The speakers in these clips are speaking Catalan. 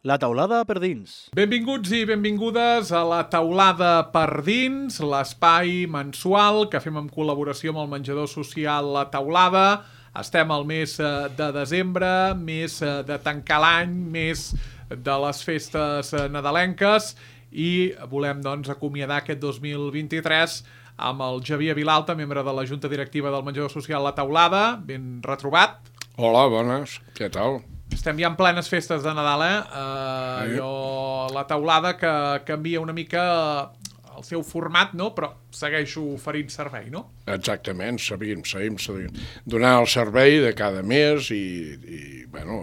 La taulada per dins. Benvinguts i benvingudes a la taulada per dins, l'espai mensual que fem en col·laboració amb el menjador social La Taulada. Estem al mes de desembre, mes de tancar l'any, mes de les festes nadalenques i volem doncs acomiadar aquest 2023 amb el Xavier Vilalta, membre de la Junta Directiva del menjador social La Taulada. Ben retrobat. Hola, bones, què tal? Estem ja en plenes festes de Nadal, La Taulada que canvia una mica el seu format, no? Però segueixo oferint servei, no? Exactament, seguim donant el servei de cada mes i bueno,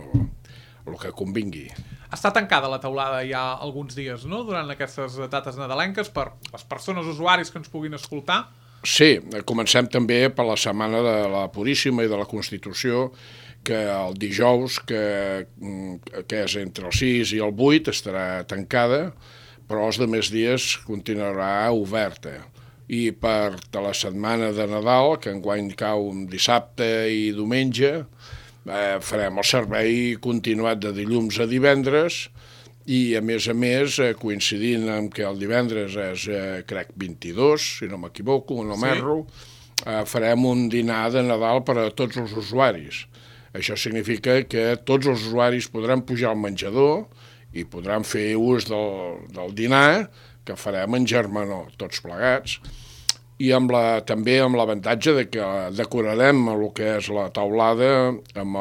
el que convingui. Està tancada la taulada ja alguns dies, no?, durant aquestes dates nadalenques per les persones usuaris que ens puguin escoltar. Sí, comencem també per la setmana de la Puríssima i de la Constitució, que el dijous, que és entre el 6 i el 8, estarà tancada, però els demés dies continuarà oberta. I per la setmana de Nadal, que enguany cau un dissabte i diumenge, farem el servei continuat de dilluns a divendres i, a més, coincidint amb que el divendres és, crec, 22, si no m'equivoco, no m'erro, farem un dinar de Nadal per a tots els usuaris. Això significa que tots els usuaris podran pujar al menjador i podran fer ús del dinar que farem en germanor, tots plegats, i també amb l'avantatge de que decorarem el que és la taulada amb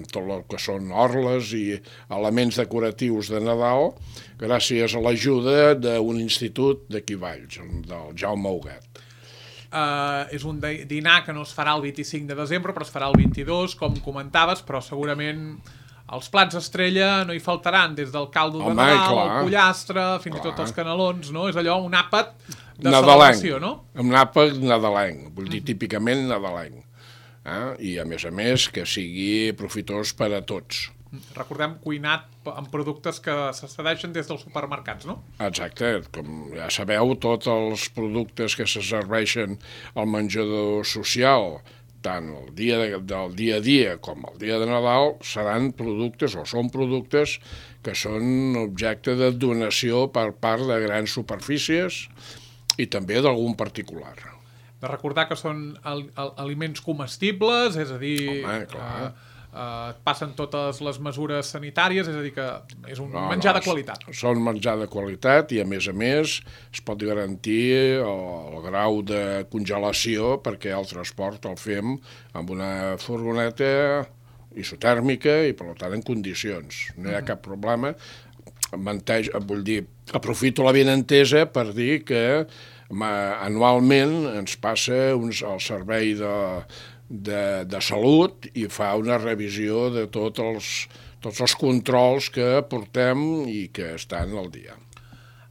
tot el que són orles i elements decoratius de Nadal, gràcies a l'ajuda d'un institut d'aquí Valls, del Jaume Huguet. És un dinar que no es farà el 25 de desembre, però es farà el 22, com comentaves, però segurament els plats estrella no hi faltaran, des del caldo de Nadal, el pollastre, fins i tot els canelons, no? És allò, un àpat de celebració, no? Un àpat nadalenc, vull dir, típicament nadalenc. I, a més, que sigui profitós per a tots. Recordem, cuinat amb productes que se cedeixen des dels supermercats, no? Exacte, com ja sabeu, tots els productes que se serveixen al menjador social, tant el dia del dia a dia com el dia de Nadal, seran productes o són productes que són objecte de donació per part de grans superfícies i també d'algun particular. De recordar que són aliments comestibles, és a dir... Home, clar. Passen totes les mesures sanitàries, és a dir, que és un menjar de qualitat. Són menjar de qualitat i, a més, es pot garantir el grau de congelació perquè el transport el fem amb una furgoneta isotèrmica i, per tant, en condicions. No hi ha cap problema. Vull dir, aprofito la benentesa per dir que anualment ens passa el servei de salut i fa una revisió de tots els controls que portem i que estan al dia.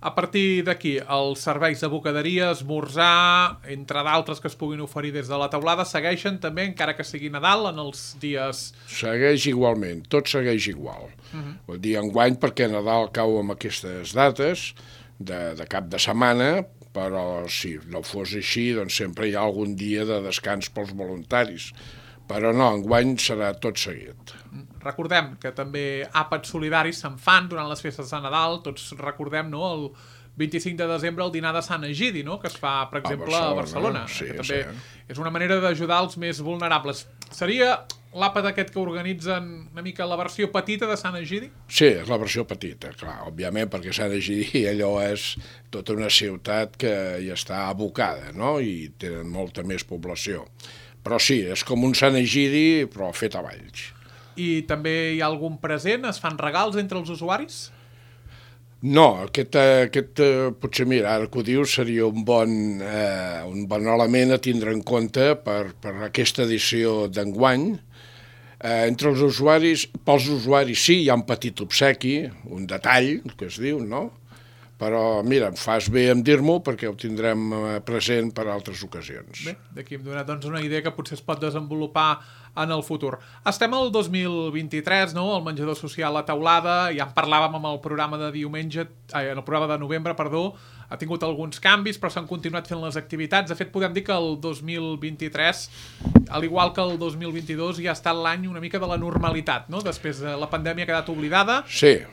A partir d'aquí, els serveis de bocaderia, esmorzar, entre d'altres que es puguin oferir des de la taulada, segueixen també, encara que sigui Nadal, en els dies... Segueix igualment, tot segueix igual. Vull dir, enguany, perquè Nadal cau amb aquestes dates de cap de setmana, però si no fos així, doncs sempre hi ha algun dia de descans pels voluntaris. Però no, enguany serà tot seguit. Recordem que també àpats solidaris se'n fan durant les festes de Nadal. Tots recordem, no?, el 25 de desembre el dinar de Sant Egidi, no?, que es fa, per exemple, a Barcelona. Sí, que també és una manera d'ajudar els més vulnerables. Seria l'àpat aquest que organitzen una mica la versió petita de Sant Egidi? Sí, és la versió petita, clar, òbviament, perquè Sant Egidi allò és tota una ciutat que hi està abocada, no?, i tenen molta més població. Però sí, és com un Sant Egidi, però fet a Valls. I també hi ha algun present? Es fan regals entre els usuaris? No, aquest potser, mira, ara que ho dius, seria un bon element a tindre en compte per aquesta edició d'enguany. Entre els usuaris, pels usuaris sí, hi ha un petit obsequi, un detall, que es diu, no? Però, mira, em fas bé en dir-m'ho perquè ho tindrem present per altres ocasions. Bé, d'aquí hem donat doncs, una idea que potser es pot desenvolupar en el futur. Estem al 2023, no?, el menjador social La Taulada, ja en parlàvem amb el programa de novembre, ha tingut alguns canvis, però s'han continuat fent les activitats. De fet, podem dir que el 2023, al igual que el 2022, ja ha estat l'any una mica de la normalitat, no? Després la pandèmia ha quedat oblidada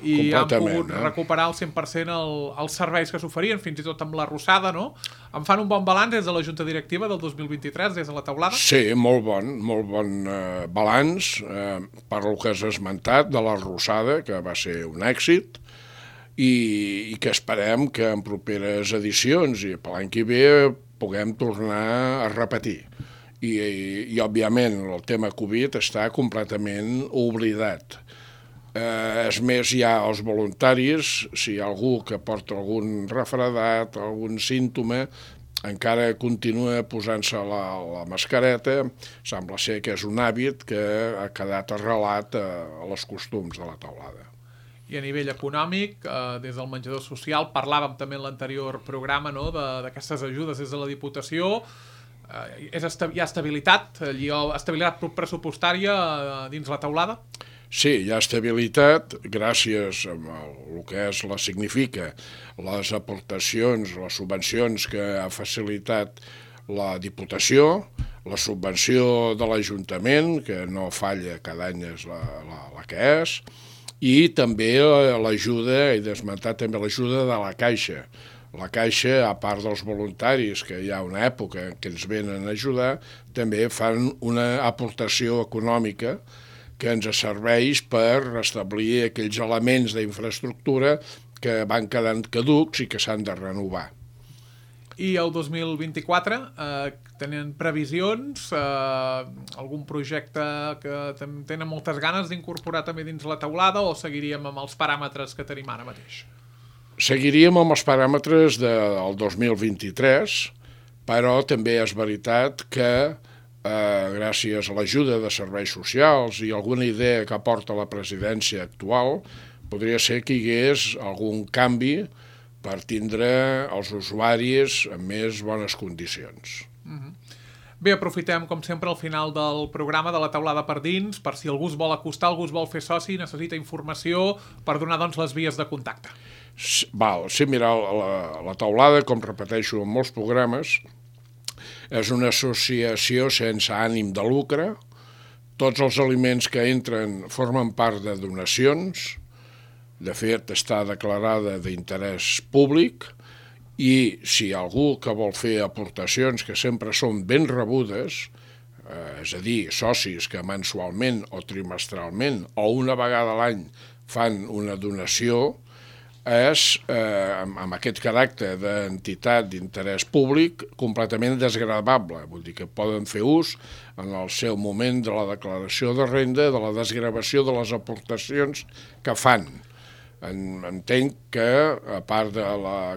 i han pogut recuperar al 100% els serveis que s'oferien, fins i tot amb l'arrossada, no? Em fan un bon balanç des de la Junta Directiva del 2023, des de la taulada? Sí, molt bon balanç per el que has esmentat de l'arrossada, que va ser un èxit, i que esperem que en properes edicions i per l'any que ve puguem tornar a repetir. I òbviament, el tema Covid està completament oblidat. És més, hi ha els voluntaris, si hi ha algú que porta algun refredat, algun símptoma, encara continua posant-se la mascareta, sembla ser que és un hàbit que ha quedat arrelat a els costums de la taulada. I a nivell econòmic, des del menjador social, parlàvem també en l'anterior programa, no?, d'aquestes ajudes des de la Diputació. Hi ha estabilitat pressupostària dins la taulada? Sí, hi ha estabilitat gràcies a el que significa les aportacions, les subvencions que ha facilitat la Diputació, la subvenció de l'Ajuntament, que no falla, cada any és la que és, i també l'ajuda, he d'esmentar també l'ajuda de la Caixa. La Caixa, a part dels voluntaris, que hi ha una època que ens venen a ajudar, també fan una aportació econòmica que ens serveix per restablir aquells elements d'infraestructura que van quedant caducs i que s'han de renovar. I el 2024 tenen previsions, algun projecte que tenen moltes ganes d'incorporar també dins la taulada, o seguiríem amb els paràmetres que tenim ara mateix? Seguiríem amb els paràmetres del 2023, però també és veritat que gràcies a l'ajuda de serveis socials i alguna idea que aporta la presidència actual, podria ser que hi hagués algun canvi per tindre els usuaris en més bones condicions. Bé, aprofitem, com sempre, al final del programa de la taulada per dins, per si algú es vol acostar, algú es vol fer soci, necessita informació per donar, doncs, les vies de contacte. Sí, mira, la taulada, com repeteixo en molts programes, és una associació sense ànim de lucre. Tots els aliments que entren formen part de donacions. De fet, està declarada d'interès públic, i si hi ha algú que vol fer aportacions que sempre són ben rebudes, és a dir, socis que mensualment o trimestralment o una vegada a l'any fan una donació, és, amb aquest caràcter d'entitat d'interès públic, completament desgravable. Vull dir que poden fer ús en el seu moment de la declaració de renda, de la desgravació de les aportacions que fan. Entenc que, a part de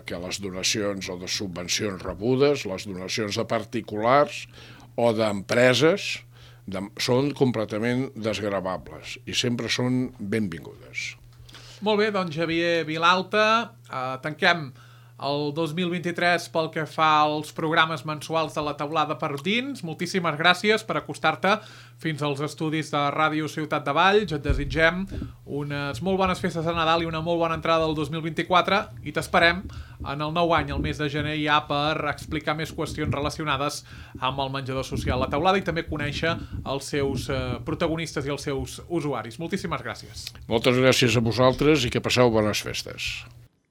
que les donacions o de subvencions rebudes, les donacions de particulars o d'empreses són completament desgravables i sempre són benvingudes. Molt bé, doncs Xavier Vilalta, tanquem el 2023 pel que fa als programes mensuals de la taulada per dins. Moltíssimes gràcies per acostar-te fins als estudis de Ràdio Ciutat de Valls. Et desitgem unes molt bones festes de Nadal i una molt bona entrada del 2024 i t'esperem en el nou any, el mes de gener, ja per explicar més qüestions relacionades amb el menjador social La Taulada i també conèixer els seus protagonistes i els seus usuaris. Moltíssimes gràcies. Moltes gràcies a vosaltres i que passeu bones festes.